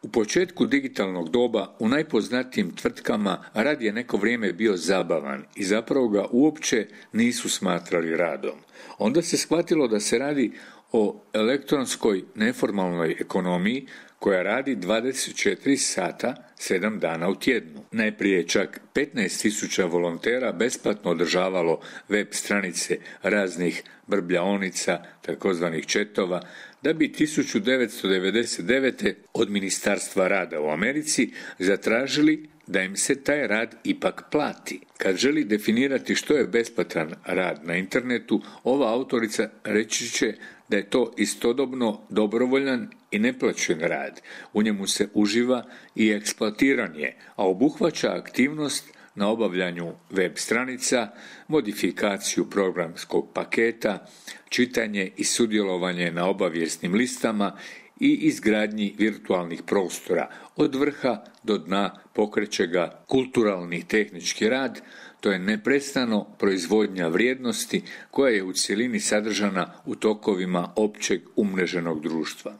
U početku digitalnog doba u najpoznatijim tvrtkama rad je neko vrijeme bio zabavan i zapravo ga uopće nisu smatrali radom. Onda se shvatilo da se radi o elektronskoj neformalnoj ekonomiji koja radi 24 sata 7 dana u tjednu. Najprije je čak 15.000 volontera besplatno održavalo web stranice raznih brbljaonica, takozvanih chatova, da bi 1999. od Ministarstva rada u Americi zatražili da im se taj rad ipak plati. Kad želi definirati što je besplatan rad na internetu, ova autorica reći će da je to istodobno dobrovoljan i neplaćen rad. U njemu se uživa i eksploatiran je, a obuhvaća aktivnost na obavljanju web stranica, modifikaciju programskog paketa, čitanje i sudjelovanje na obavijesnim listama i izgradnji virtualnih prostora. Od vrha do dna pokreće ga kulturalni tehnički rad, to je neprestano proizvodnja vrijednosti koja je u cjelini sadržana u tokovima općeg umreženog društva.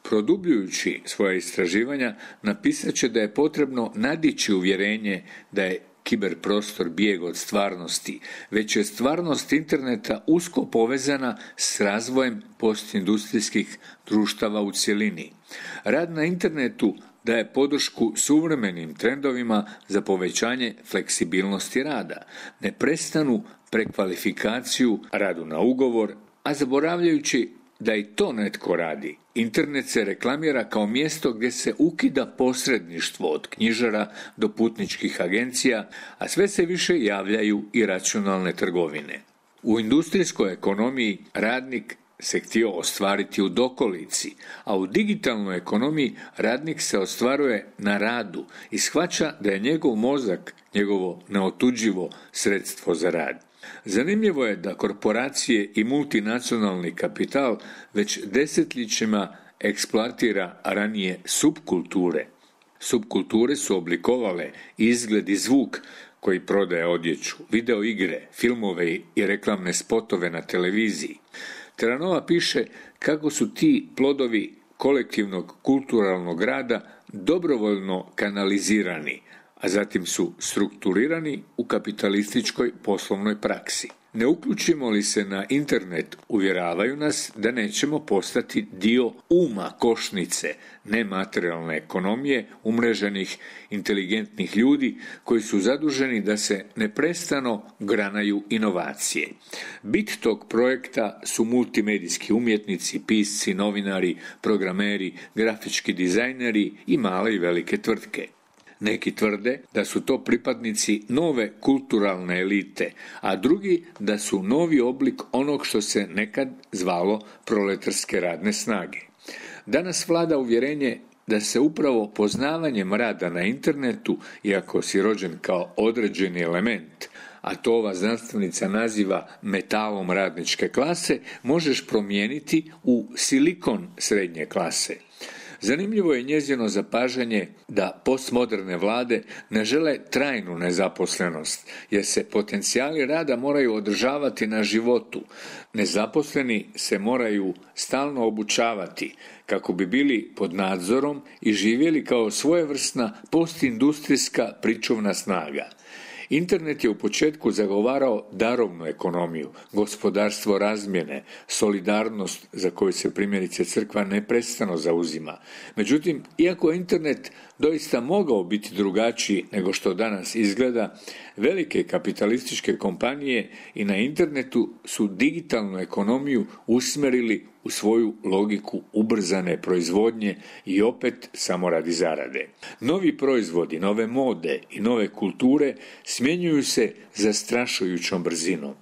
Produbljujući svoja istraživanja, napisat će da je potrebno nadići uvjerenje da je kiberprostor bijeg od stvarnosti, već je stvarnost interneta usko povezana s razvojem postindustrijskih društava u cjelini. Rad na internetu daje podršku suvremenim trendovima za povećanje fleksibilnosti rada, neprestanu prekvalifikaciju, radu na ugovor, a zaboravljajući da i to netko radi. Internet se reklamira kao mjesto gdje se ukida posredništvo od knjižara do putničkih agencija, a sve se više javljaju i računalne trgovine. U industrijskoj ekonomiji radnik se htio ostvariti u dokolici, a u digitalnoj ekonomiji radnik se ostvaruje na radu i shvaća da je njegov mozak njegovo neotuđivo sredstvo za rad. Zanimljivo je da korporacije i multinacionalni kapital već desetljećima eksploatira ranije subkulture. Subkulture su oblikovale izgled i zvuk koji prodaje odjeću, video igre, filmove i reklamne spotove na televiziji. Terranova piše kako su ti plodovi kolektivnog kulturalnog rada dobrovoljno kanalizirani, a zatim su strukturirani u kapitalističkoj poslovnoj praksi. Ne uključimo li se na internet, uvjeravaju nas da nećemo postati dio uma košnice nematerijalne ekonomije umreženih inteligentnih ljudi koji su zaduženi da se neprestano granaju inovacije. Bit tog projekta su multimedijski umjetnici, pisci, novinari, programeri, grafički dizajneri i male i velike tvrtke. Neki tvrde da su to pripadnici nove kulturalne elite, a drugi da su novi oblik onog što se nekad zvalo proletarske radne snage. Danas vlada uvjerenje da se upravo poznavanjem rada na internetu, iako si rođen kao određeni element, a to ova znanstvenica naziva metalom radničke klase, možeš promijeniti u silikon srednje klase. Zanimljivo je njezino zapažanje da postmoderne vlade ne žele trajnu nezaposlenost, jer se potencijali rada moraju održavati na životu. Nezaposleni se moraju stalno obučavati kako bi bili pod nadzorom i živjeli kao svojevrsna postindustrijska pričuvna snaga. Internet je u početku zagovarao darovnu ekonomiju, gospodarstvo razmjene, solidarnost za koju se primjerice crkva neprestano zauzima. Međutim, iako je internet doista mogao biti drugačiji nego što danas izgleda, velike kapitalističke kompanije i na internetu su digitalnu ekonomiju usmjerili u svoju logiku ubrzane proizvodnje i opet samo radi zarade. Novi proizvodi, nove mode i nove kulture smjenjuju se zastrašujućom brzinom.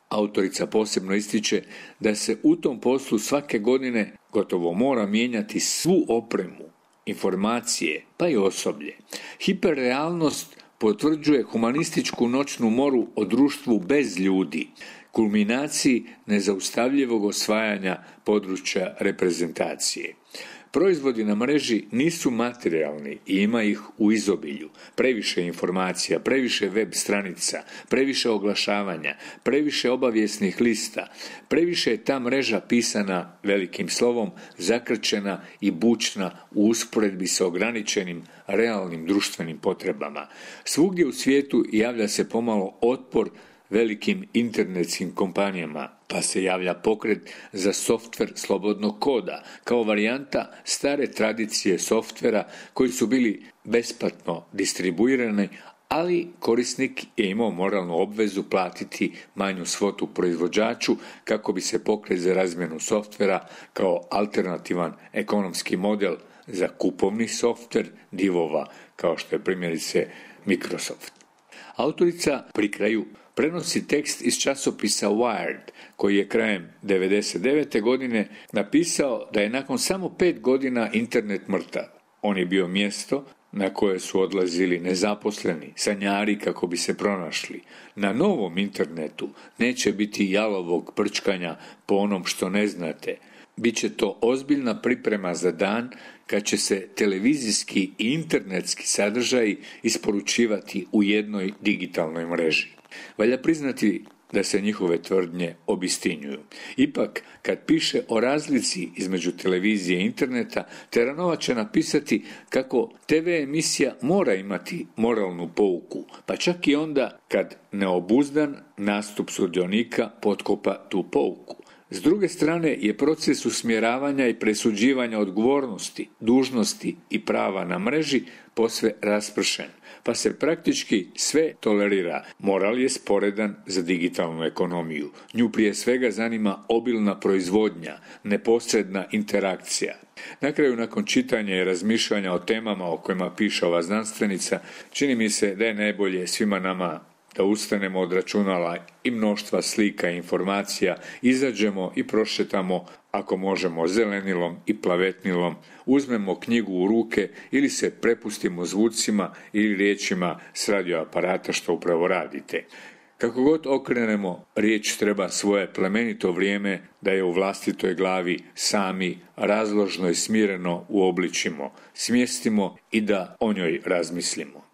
Autorica posebno ističe da se u tom poslu svake godine gotovo mora mijenjati svu opremu, informacije, pa i osoblje. Hiperrealnost potvrđuje humanističku noćnu moru o društvu bez ljudi, kulminaciji nezaustavljivog osvajanja područja reprezentacije. Proizvodi na mreži nisu materijalni i ima ih u izobilju. Previše informacija, previše web stranica, previše oglašavanja, previše obavijesnih lista, previše je ta mreža pisana velikim slovom, zakrčena i bučna u usporedbi sa ograničenim realnim društvenim potrebama. Svugdje u svijetu javlja se pomalo otpor velikim internetskim kompanijama, pa se javlja pokret za softver slobodnog koda, kao varijanta stare tradicije softvera koji su bili besplatno distribuirani, ali korisnik je imao moralnu obvezu platiti manju svotu proizvođaču kako bi se pokret za razmjenu softvera kao alternativan ekonomski model za kupovni softver divova, kao što je primjerice Microsoft. Autorica pri kraju prenosi tekst iz časopisa Wired, koji je krajem 1999. godine napisao da je nakon samo 5 godina internet mrtav. On je bio mjesto na koje su odlazili nezaposleni, sanjari kako bi se pronašli. Na novom internetu neće biti jalovog prčkanja po onom što ne znate. Biće to ozbiljna priprema za dan kad će se televizijski i internetski sadržaji isporučivati u jednoj digitalnoj mreži. Valja priznati da se njihove tvrdnje obistinjuju. Ipak, kad piše o razlici između televizije i interneta, Teranova će napisati kako TV emisija mora imati moralnu pouku, pa čak i onda kad neobuzdan nastup sudionika potkopa tu pouku. S druge strane je proces usmjeravanja i presuđivanja odgovornosti, dužnosti i prava na mreži posve raspršen, pa se praktički sve tolerira. Moral je sporedan za digitalnu ekonomiju. Nju prije svega zanima obilna proizvodnja, neposredna interakcija. Na kraju, nakon čitanja i razmišljanja o temama o kojima piše ova znanstvenica, čini mi se da je najbolje svima nama da ustanemo od računala i mnoštva slika i informacija, izađemo i prošetamo, ako možemo, zelenilom i plavetnilom, uzmemo knjigu u ruke ili se prepustimo zvucima ili riječima s radioaparata što upravo radite. Kako god okrenemo, riječ treba svoje plemenito vrijeme da je u vlastitoj glavi sami razložno i smireno uobličimo, smjestimo i da o njoj razmislimo.